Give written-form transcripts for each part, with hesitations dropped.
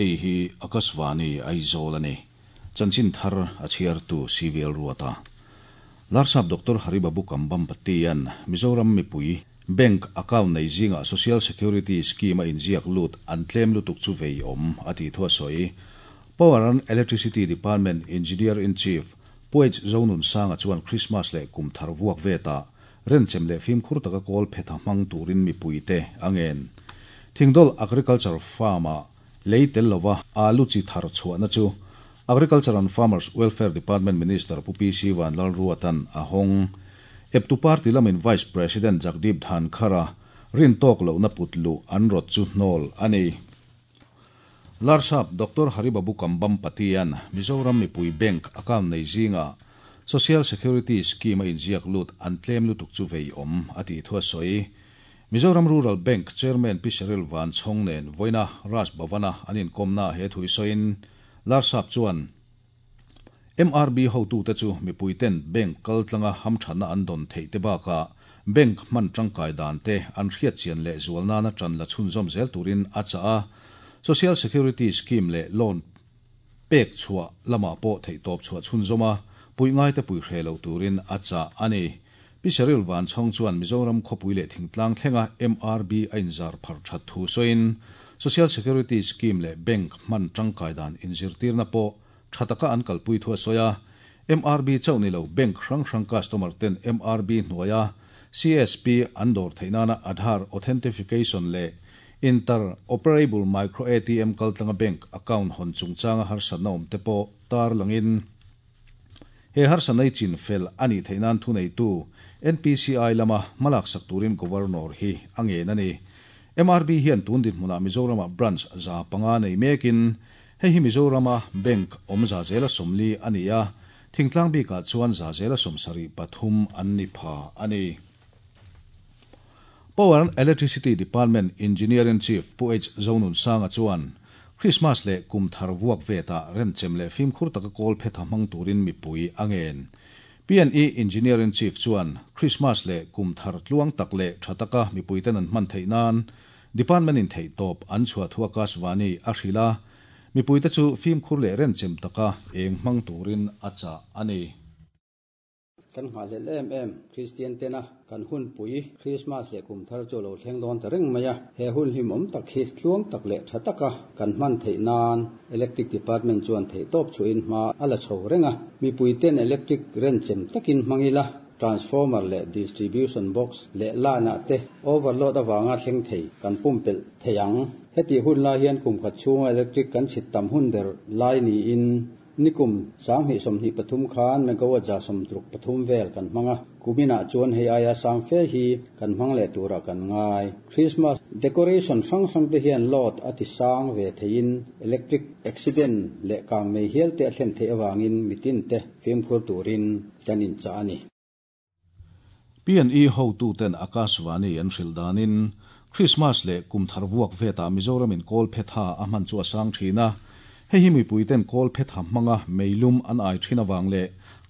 Hei hi Akashvani Aizawl a ni. Chanchin thar a chhiartu CVL Ruata. Larsap Doctor Haribabu Kambhampati-a'n Mizoram mipui Bank account nei zingah Social Security Scheme a inziak lut an tlem lutuk chu vei awm a tih thu a sawi. Power and Electricity Department Engineer-in-Chief Pu H Zonunsanga chuan Krismas leh kum thar vuak vetah renchem leh fimkhur taka kawl phetha hmang turin mipuite a ngen. Thingdawl Agriculture Farm-ah lei tel lova alu chi thar chhuahna chu Agriculture and Farmers Welfare Department Minister Pu PC Vanlalruata'n a hawng. Eptu party lamin Vice President Jagdeep Dhankhar-a rintawk lohna put luh an rawt chu hnawl a ni. Larsap Doctor Haribabu Kambhampati-a'n Mizoram mipui bank account nei zingah Social Security Scheme a inziak lut an tlem lutuk chu vei awm a tih thu a sawi. Mizoram Rural Bank Chairman Pi Cheryl Vanchhawng nen vawiina Raj Bhavan-a an inkawmnaah he thu i sawiin Larsap chuan MRB hotute chu mipuiten bank kaltlanga hamthatna an dawn theih te bakah bank hman tangkai dan te an hriatchian leh zual nana tan la chhunzawm zel turin a chah a. Social Security Scheme leh loan pek chhuah lamah pawh theihtawp chhuah chhunzawm a, puih ngaite pui hre lo turin a chah a ni. Pi Cheryl Vanchhawng chuan Mizoram khawpui leh thingtlang thlenga MRB a inzar phar that thu sawiin Social Security Scheme leh bank hman tangkai dan inzirtirna pawh tha taka an kalpui thu a sawi a. MRB chauh ni lo bank hrang hrang customer ten MRB hnuaia CSP an dawr theih nana Aadhaar authentification leh Inter-operable Micro ATM kaltlanga bank account hawn chungchanga harsatna awm te pawh tar langin he harsatna i chin fel a nih theih nan thuneitu NPCI lama hmalaksak turin Governor hi a ngen a ni. MRB hian tun dinhmunah Mizoramah branch 500 nei mekin hei hi Mizorama bank awm 40% a ni a, thingtlang bikah chuan 73% an ni pha a ni. Power and Electricity Department Engineer-in-Chief Pu H Zonunsanga chuan Krismas leh kum thar vuak vetah renchem leh fimkhur taka kawl phetha hmang turin mipui a ngen. P&E Engineer-in-Chief chuan Krismas leh kum thar tluang tak leh tha taka mipuiten an hman theih nan Department-in theihtawp an chhuah thu Akashvani a hrilh a, mipuite chu fimkhur leh renchem taka eng hmang turin a chah a ni. Kan nghahhlelh em em Kristian tena kan hunpui Krismas leh kum thar chu a lo thleng dawn ta reng mai a. He hun hlimawm tak hi tluang tak leh tha taka kan hman theih nan Electric Department chuan theihtawp chhuahin hma a la chho reng a. Mipui ten electric renchem takin hmang ila, transformer leh distribution box leh line ah te overload avanga thleng thei kan pumpelh thei ang. Hetih hun lai hian kum khat chhunga electric kan chhit tam hun ber lai niin Nikum 2023 khan megawatt 63 vel kan hmang a, kuminah chuan hei aia sang fe hi kan hmang leh turah kan ngai. Christmas decoration hrang hrang te hian load a ti sang ve theiin electric accident leh kang mei hial te a thlen theih avangin mitin te fimkhur turin kan inchah a ni. P&E hotuten Akashvani an hrilh danin Krismas leh kum thar vuak vetah Mizoramin kawl phetha a hman chu a sang thin a. Hei hi mipuiten kawl phetha hmanga meilum an ai thin awang leh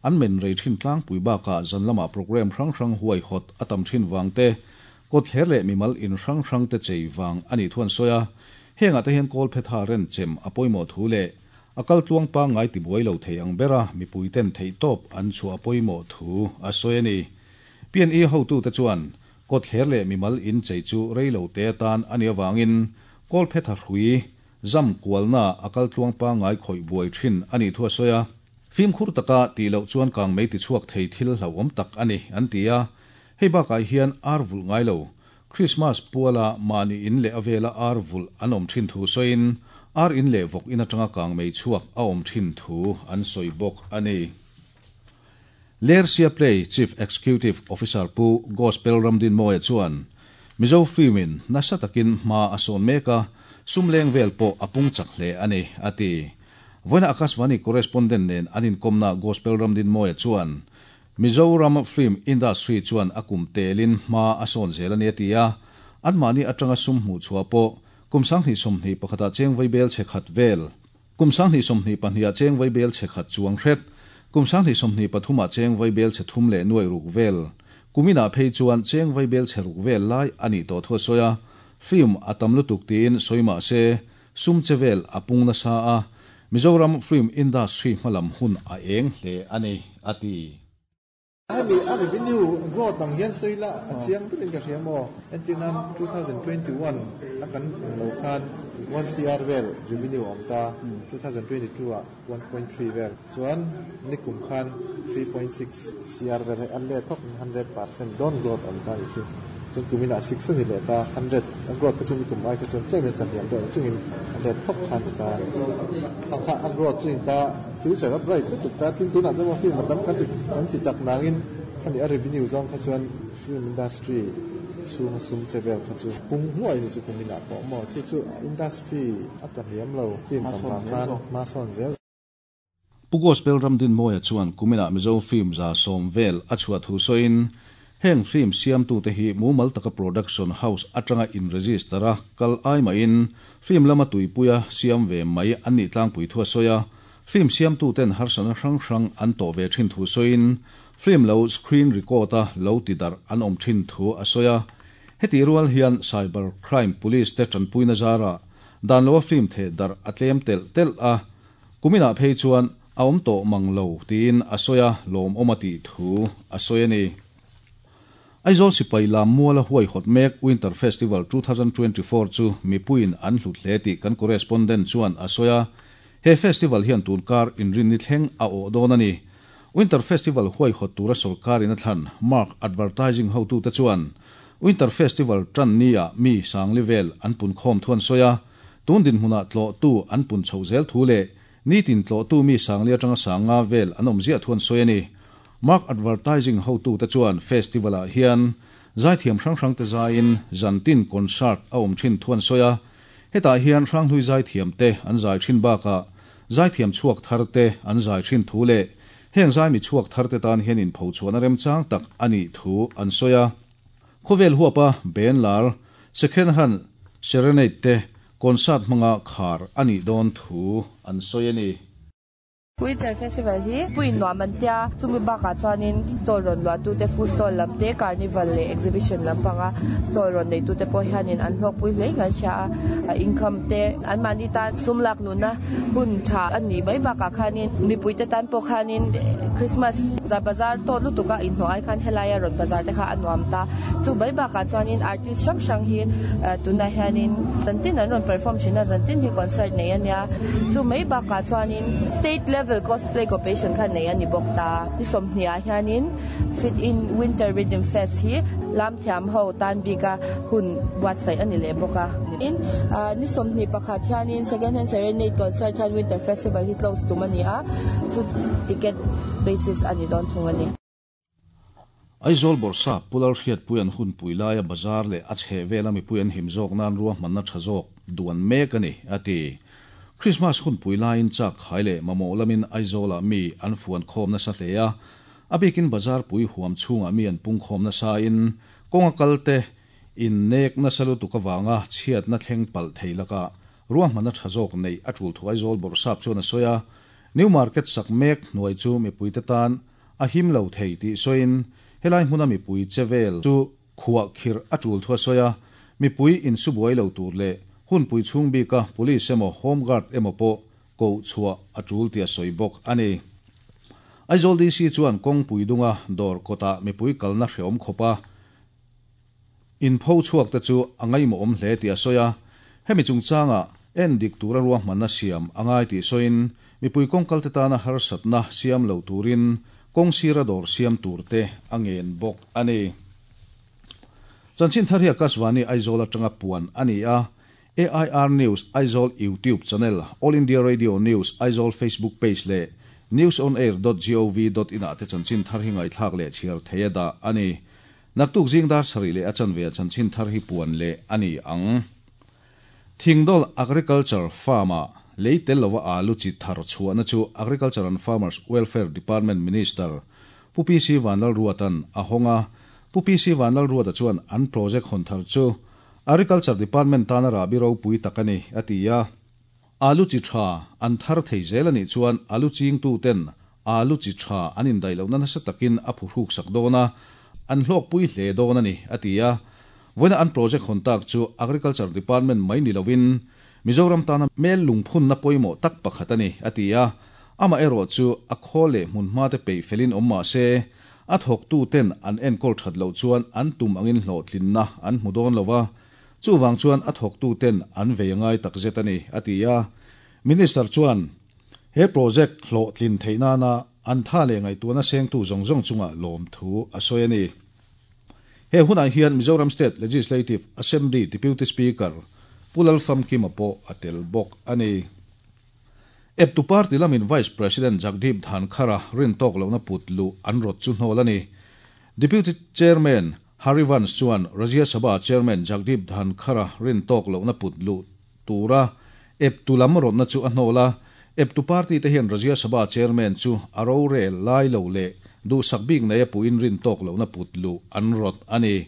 an men rei thin tlangpui bakah zan lamah program hrang hrang huai hawt a tam thin wang te, kawt thler leh mimal in hrang hrang te chei wang a nih thu an sawi a. Hengah te hian kawl phetha ren chem a pawimawh thu leh a kal tluang pangngai tibuai lo thei ang bera mipuiten theihtawp an chhuah a pawimawh thu a sawi a ni. P&E hotute chuan kawt thler leh mimal in chei chu rei lo te atan a nih awangin kawl phetha hrui zam kualna a kal tluang pangngai khawih buai thin a nih thu a sawi a. Fimkhur taka tih loh chuan kang mei tichhuak thei thil hlauhawm tak a ni an ti a. Hei bakah hian ar vulh ngai lo Krismas puala mahni in leh a vela ar vulh an awm thin thu sawiin ar in leh vawk in atanga kang mei chhuak a awm thin thu an sawi bawk a ni. Lersia Play Chief Executive Officer Pu Gospel Ramdin Mawia chuan Mizo film-in nasa takin hma a sawn mek a, sum leng vel pawh a pung chak hle a ni, a ti. Vawiina Akashvani correspondent nen an inkawmna Gospel Ramdin Mawia chuan Mizoram film industry chuan a kum telin hma a sawn zel a ni a ti a, anmahni atanga sum hmuh chhuah pawh kum 2021ah cheng vaibel chhe khat vel, kum 2022ah cheng vaibel chhe khat chuang hret, kum 2023ah cheng vaibel chhe thum leh nuai ruk vel, kuminah phei chuan cheng vaibel chhe ruk vel lai a nih tawh thu a sawi a, film a tam lutuk tiin sawi mah se. sum chevel a pung nasa a, Mizoram film industry hmalam hun a eng hle a ni, a ti. Hemi a revenue growth ang hian sawi ila a chiang berin ka hria maw? Entirnan 2021 a kan awm lo khan one CR vel revenue a awm ta, 2022 ah 1.3 vel chuan nikum khan 3.6 CR vel hei a let thawk in 100% dawn growth a awm ta a nih chu. Chuan kumin ah 6 a ni leh ta, 100 a growth kha chu nikum ai kha chuan tlem in kan hniam deuh ang chungin a let thawk kha a ni ta. Khang kha a growth chu in ta future a bright lutuk ta, tin tunah chuan film a tam kan ti kan ti tak nangin khami a revenue zawng kha chuan film industry chhunga sum che vel kha chu pung hluai ni chu kumin ah pawh maw chu chu industry a tla hniam lo film tam vang khan hma sawn zel. Pu Gospel Ramdinmawia chuan kuminah Mizo film 70% vel a chhuah thu sawiin, heng film siamtute hi mumal taka production house atanga in-register a kal ai mahin film lama tuipuia siam ve mai an nih tlangpui thu a sawi a. Film siamtuten harsatna hrang hrang an tawh ve thin thu sawiin, film lo screen record a lo ti darh an awm thin thu a sawi a. Hetih rual hian cyber crime police te tanpuina zarah dan loa film theh darh a tlem telh telh a, kuminah phei chuan a awm tawh mang lo tiin a sawi a, lawmawm a tih thu a sawi a ni. Aizawl sipai lam muala huaihawt mek Winter Festival 2024 chu mipuiin an hlut hle tih kan correspondent chuan a sawi a. He festival hian tun kar inrinni thleng a awh dawn a ni. Winter Festival huaihawt tura sawrkarin a thlan Mark Advertising hotute chuan Winter Festival tan nia mi sangli vel an pun khawm thu an sawi a. Tun dinhmunah tlawhtu an pun chhoh zel thu leh nitin tlawhtu mi sangli atanga sanga vel an awm ziah thu an sawi a ni. Mark Advertising hotute chuan festival-ah hian zaithiam hrang hrangte zaiin zantin concert a awm thin thu an sawi a. Hetah hian hranghlui zaithiamte an zai thin bakah zaithiam chhuak tharte an zai thin thu leh heng zaimi chhuak tharte tan hian inphochhuahna remchang tak a nih thu an sawi a. Khawvel huapa Ben lar second hand serenade te concert hmanga khar a nih dawn thu an sawi a ni. Winter Festival hi puiin nuam an tia, chumi bakah chuanin stall rawn luahtute food stall lam te, carnival leh exhibition lampanga stall rawn neitute pawh hianin an hlawkpui hle in an hria a, income te anmahni tan sum lak luhna hun tha a nih mai bakah khanin mipuite tan pawh khanin Christmas bazar tawt lutuka inhnawh ai khan helaia rawn bazar te kha a nuam ta. Chu mai bakah chuanin artist hrang hrang hi tunah hianin zantin an rawn perform thin a, zantin hi concert nei a nia. Chu mai bakah chuanin state level cosplay competition kha nei a ni bawk ta. Ni 20 ah hianin Fit in Winter Rhythm Fest hi lam thiam ho tan bika hun buatsaih a ni leh bawk a. Tin, ni 21 hianin Second Hand Serenade Concert hian Winter Festival hi close tum a ni a, chu ticket basis a ni dawn thung a ni. Aizawl Bawrhsap Pu Lalhriatpuia'n hunpui laia bazar leh a chheh vela mipui an him zawk nan ruahmanna tha zawk duan mek a ni, a ti. Krismas hunpui laiin chak khai leh mamawh lamin Aizawlah mi an fuan khawm nasa hle a, a bikin bazar pui huam chhungah mi an pung khawm nasain kawnga kalte innek nasa lutuk avanga chhiatna thleng palh thei lakah ruahmanna tha zawk neih a tul thu Aizawl Bawrhsap chuan a sawi a. New Market sak mek hnuai chu mipuite tan a him lo thei tih sawiin helai hmuna mipui che vel chu khuah khirh a tul thu a sawi a, mipui insubuai lo tur leh hunpui chhung bika police emaw home guard emaw pawh koh chhuah a tul tih a sawi bawk a ni. Aizawl DC chuan kawngpui dunga dawr kawtah mipui kalna hreawm khawp a inpho chhuak te chu a ngaihmawhawm hle tih a sawi a, hemi chungchangah en dik tura ruahmanna siam a ngai tih sawiin mipui kawngkalte tana harsatna siam lo turin kawng sira dawr siam tur te a ngen bawk a ni. Chanchin thar hi Akashvani Aizawl atanga puan a ni a, AIR News Aizawl YouTube channel, All India Radio News Aizawl Facebook page leh newsonair.gov.in ah te chanchin thar hi ngaihthlak leh chhiar thei a dah a ni. Naktuk zing dar sarih leh a chanve a chanchin thar hi puan leh a ni ang. Thingdawl Agriculture Farm-ah lei tel lova alu chi thar chhuahna chu Agriculture and Farmers Welfare Department Minister Pu PC Vanlalruata'n a hawng a. Pu PC Vanlalruata chuan an project hawn thar chu Agriculture Department tana rahbi ropui tak a ni, a ti a. Alu chi tha an thar thei zel a nih chuan alu chingtuten alu chi tha an indaih lohna nasa takin a phuhruk sak dawn a, an hlawkpui hle dawn a ni, a ti a. Vawiina an project hawn tak chu Agriculture Department mai ni loin Mizoram tana mel lungphunna pawimawh tak pakhat a ni, a ti a. Amaherawhchu, a khawl leh hmunhma te peih felin awm mah se, a thawktu ten an enkawl that loh chuan an tum angin hlawhtlinna an hmu dawn lo a, chuvang chuan a thawktu ten an vei a ngai takzet a ni, a ti a. Minister chuan he project hlawhtlin theih nana an tha leh ngaihtuahna sengtu zawng zawng chungah lawmthu a sawi a ni. He hunah hian Mizoram State Legislative Assembly Deputy Speaker Pu Lalfamkima pawh a tel bawk a ni. Eptu party lamin Vice President Jagdeep Dhankhar-a rin tawk lohna put luh an rawt chu hnawl a ni. Deputy Chairman Harivansh chuan Rajya Sabha Chairman Jagdeep Dhankhar-a rin tawk lohna put luh tura eptu lam rawtna chu a hnawl a. Eptu party te hian Rajya Sabha Chairman chu a rorel lai lo leh duhsak bik nei a puhin rin tawk lohna put luh an rawt a ni.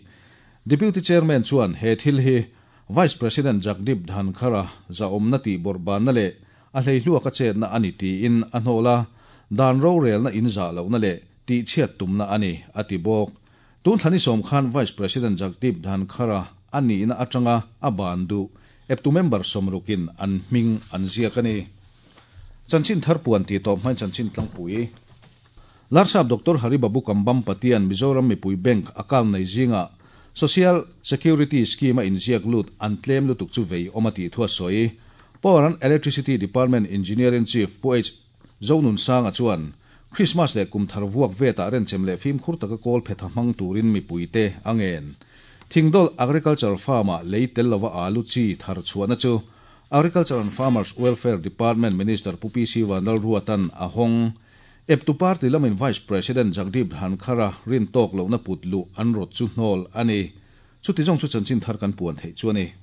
Deputy Chairman chuan he thil hi Vice President Jagdeep Dhankhar-a zahawmna tih bawrhbanna leh a hleihluak a chetna a ni tiin a hnawl a, dan rorelna inzah lohna leh tihchhiat tumna a ni, a ti bawk. Tun thla ni sawm khan Vice President Jagdeep Dhankhar-a a nihna atanga a ban duh eptu member sawmrukin an hming an ziak a ni. Chanchin thar puan tih tawp hmain chanchin tlangpui. Larsap Doctor Hari Babu Kambam Patian Mizoram mipui bank account nei zingah Social Security Scheme a inziak lut an tlem lutuk chu vei awm a tih thu a sawi. Power and Electricity Department Engineer-in-Chief Pu H. Zonunsanga chuan Krismas leh kum thar vuak vetah renchem leh fimkhur taka kawl phetha hmang turin mipuite a ngen. Thingdawlh Agriculture Farm-ah lei tel lova alu chi thar chhuahna chu Agriculture and Farmers Welfare Department Minister Pu PC Vanlalruatan a hawng. Eptu party lamin Vice President Jagdeep Dhankhar-a rin tawk lohna put luh an rawt chu hnawl a ni. Chuti zawng chu chanchin thar kan puan theih chu a ni.